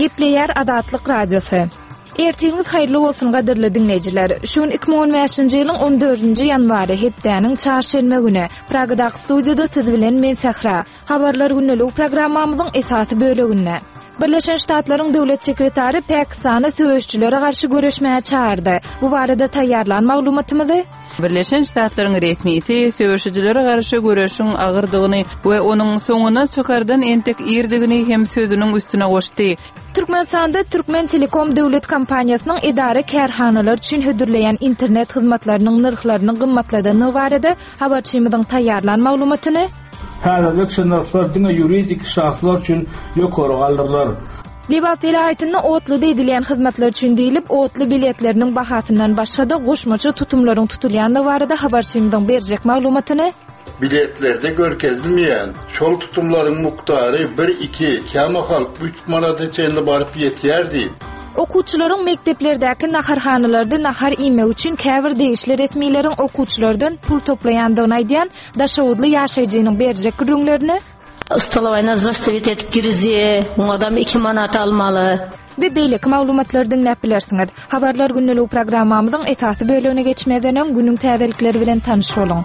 Gepleýär Azatlyk Radiosy. Ertiriňiz haýyrly bolsun gadyrly diňleýjiler. Şu gün 2015-nji ýylyň 14-nji ýanwary, hepdäniň çarşenbe güni. Pragadaky studiýada siz bilen men Sähra. Habarlar gündeligi programmamyzyň esasy böleginde. Birleşen Ştatlaryň döwlet sekretary Pakistany söweşijilere garşy göreşmäge çagyrdy. Bu barada taýýarlan maglumatymyzy Birleşen Ştatlaryň resmisi söweşijilere garşy göreşiň agyrdygyny we onuň soňuna çykardan entek irdigini hem sözüniň üstüne goşdy. Türkmenistanda Türkmentelekom döwlet kompaniýasynyň edara-kärhanalar üçin hödürleýän internet hyzmatlarynyň nyrhlaryny gymmatladandygy barada habarçymyzyň taýýarlan maglumatyny, Häzirlikçe nyrhlar diňe ýuridik şahslar üçin ýokary galdyrylar. Lebap welaýatynda otluda edilýän hyzmatlar üçin diýlip, otly biletleriniň bahasyndan başga-da goşmaça tutumlaryň tutulýandygy barada habarçymyzyň berjek maglumatyny, Biletlerde görkezilmeýän şol tutumlaryň mukdary bir, iki, kämahal üç manada çenli baryp ýetýär diýip, Okuwçylaryň mekdeplerdäki naharhanalarda nahar iýmegi üçin käbir degişli resmileriň okuwçylardan pul toplaýandygyny aýdýan daşoguzly ýaşaýjynyň berjek gürrüňlerini, Stolowaýna zastavit edip girizýä, oňadam iki manat almaly. We beýleki maglumatlary diňläp bilersiňiz. Habarlar gündeligi programmamyzyň esasy bölegine geçmezden öň günüň täzelikleri bilen tanyş boluň.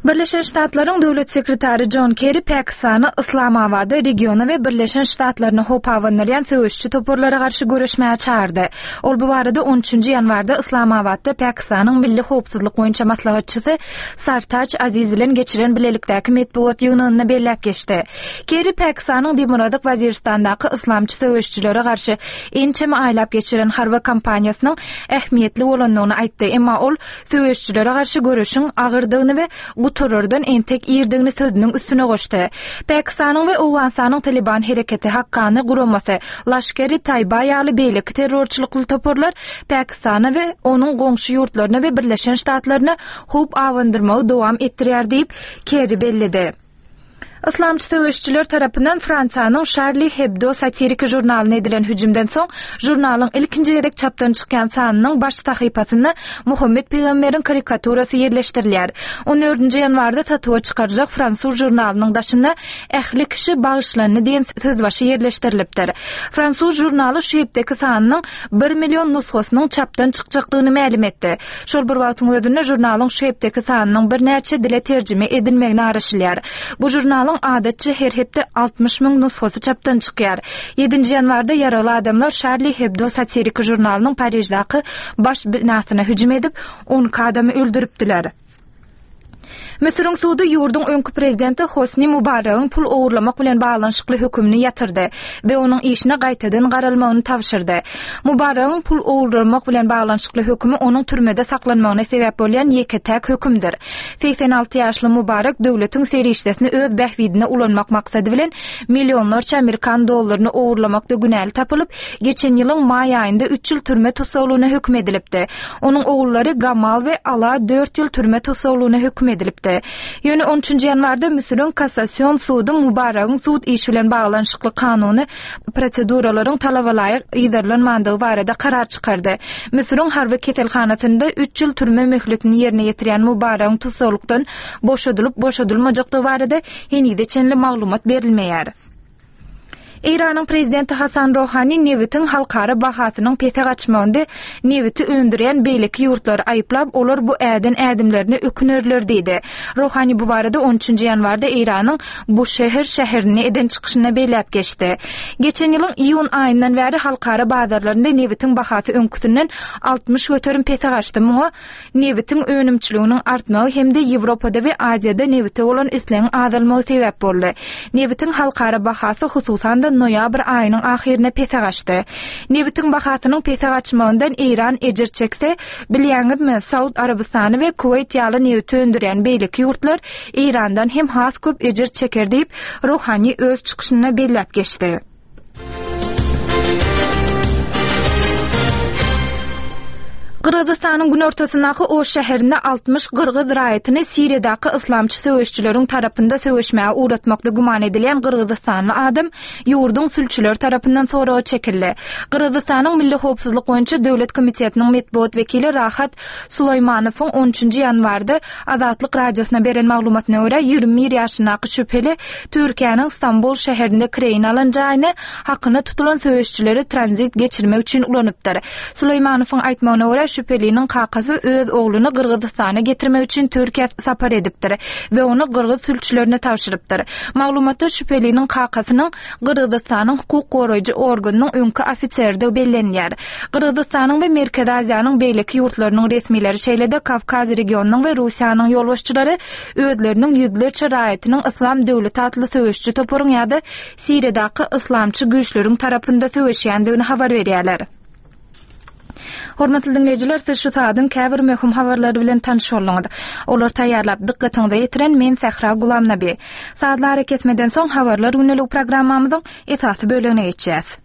Birleşen Ştatlaryň Döwlet sekretary Jon Kerri Pakistany Yslamabada regiona we Birleşen Ştatlaryna howp abandyrýan söweşiji toparlara garşy göreşmäge çagyrdy. Ol bu barada on üçünji ýanwarda Yslamabatda Pakistanyň milli howpsuzlyk boýunça maslahatçysy Sartaj Aziz bilen geçiren bilelikdäki metbugat ýygnagynda belläp geçdi. Kerri Pakistanyň Demirgazyk Waziristandaky yslamçy söweşijilere garşy ençeme aýlap geçiren harby kampaniýasynyň ähmiýetli bolandygyny aýtdy, emma ol söweşijilere garşy göreşiň agyrdygyny we gutarardan entek irdigini sözüniň üstüne goşdy. Pakistanyň we Owganystanyň Talyban hereketi, Hakkany guramasy, Laşker-i-Taýba ýaly beýleki terrorçylykly toparlar Pakistana we onuň goňşy ýurtlaryna we Birleşen Ştatlaryna howp abandyrmagy dowam etdirýär diýip, Kerri belledi. Yslamçy söweşijiler tarapyndan Fransiýanyň Şarli Hebdo satiriki žurnalyna edilen hüjümden soň, žurnalyň ilkinji gezek çapdan çykýan sanynyň baş sahypasynda Muhammet pygamberiň karikaturasy ýerleşdirilýär. On dördünji ýanwarda satuwa çykaryljak fransuz žurnalynyň daşynda Ähli kişi bagyşlandy diýen sözbaşy ýerleşdirilipdir. Fransuz žurnaly şu hepdeki sanynyň bir million nusgasynyň çapdan çykjakdygyny mälim etdi. Şol bir wagtyň özünde žurnalyň şu hepdeki sanynyň birnäçe dile terjime edilmegine garaşylýar. Bu žurnalyň adatça her hepde 60 müň nusgasy çapdan çykýar. Ýedinji ýanwarda ýaragly adamlar Şarli Hebdo satiriki žurnalynyň Pariždaky baş binasyna hüjüm edip, 12 adamy öldüripdiler. Müsüriň sudy ýurduň öňki prezidenti Hosni Mubaragyň pul ogurlamak bilen baglanyşykly hökümini ýatyrdy we onuň işine gaýtadan garalmagyny tabşyrdy. Mubaragyň pul ogurlamak bilen baglanyşykly hökümi onuň türmede saklanmagyna sebäp bolýan ýeke-täk hökümdir. 86 ýaşly Mubarak döwletiň serişdesini öz bähbidine ulanmak maksady bilen millionlarça amerikan dollaryny ogurlamakda günäli tapylyp, geçen ýylyň maý aýynda üç ýyl türme tussaglygyna höküm edilipdi. Onuň ogullary Gamal we Ala dört ýyl türme tussaglygyna höküm edilipdi. Ýöne on üçünji ýanwarda Müsüriň Kassasion sudy Mubaragyň sud işi bilen baglanyşykly kanuny proseduralaryň talabalaýyk yzarlanmandygy barada karar çykardy. Müsüriň harby keselhanasynda üç ýyl türme möhletini ýerine ýetirýän Mubaragyň tussaglykdan boşadylyp-boşadylmajakdygy barada henize çenli maglumat berilmeýär. Eýranyň prezidenti Hasan Rohani nebitiň halkara bahasynyň pese gaçmagynda nebiti öndürýän beýleki ýurtlary aýyplap, olar bu äden ädimlerine ökünerler diýdi. Rohani bu barada on üçünji ýanwarda Eýranyň Buşehr şäherinde eden çykyşynda belläp geçdi. Geçen ýylyň iýun aýyndan bäri halkara bazarlarynda nebitiň bahasy öňküsinden 60% pese gaçdy. Muňa Nebitiň önümçiliginiň artmagy hem-de Ýewropada we Aziýada nebite bolan islegiň azalmagy sebäp boldy. Nebitiň halkara bahasy hususan-da noýabr aýynyň ahyryna pese gaçdy. Nebitiň bahasynyň pese gaçmagyndan Eýran ejir çekse, bilýäňizmi, Saud Arabystany we Kuweýt ýaly nebit öndürýän beýleki ýurtlar Eýrandan hem has köp ejir çeker diýip, Rohani öz çykyşynda belläp geçdi. Gyrgyzystanyň günortasyndaky Oş şäherinde 60 gyrgyz raýatyny Siriýadaky yslamçy söweşijileriň tarapynda söweşmäge ugratmakda güman edilýän gyrgyzystanly adam ýurduň sülçüleri tarapyndan soraga çekildi. Gyrgyzystanyň Milli howpsuzlyk boýunça döwlet komitetiniň metbugat wekili Rahat Sulaýmanowyň on üçünji ýanwarda Azatlyk Radiosyna beren maglumatyna görä, 21 ýaşyndaky şübheli Türkiýäniň Stambul şäherinde kireýine alan jaýyny hakyna tutulan söweşijileri tranzit geçirmek üçin ulanypdyr. Sulaýmanowyň aýtmagyna görä, şübheliniň kakasy öz ogluny Gyrgyzystana getirmek üçin Türkiýä sapar edipdir we ony gyrgyz sülçülerine tabşyrypdyr. Maglumatda şübheliniň kakasynyň Gyrgyzystanyň hukuk goraýjy organynyň öňki ofiseridigi bellenilýär. Gyrgyzystanyň we Merkezi Aziýanyň beýleki ýurtlarynyň resmileri, şeýle-de Kawkaz regionynyň we Russiýanyň ýolbaşçylary özleriniň ýüzlerçe raýatynyň Yslam döwleti atly söweşiji toparyň ýa-da Siriýadaky yslamçy güýçleriň tarapynda söweşýändigini habar berýärler. Hormatly diňleýjiler, siz şu saadyň käbir möhüm habarlary bilen tanyş bolduňyz. Olary taýýarlap, dykgatyňyza ýetiren men Sähra Gulamnabi. Sazly arakesmeden soň Habarlar gündeligi programmamyzyň esasy bölegine geçýäs.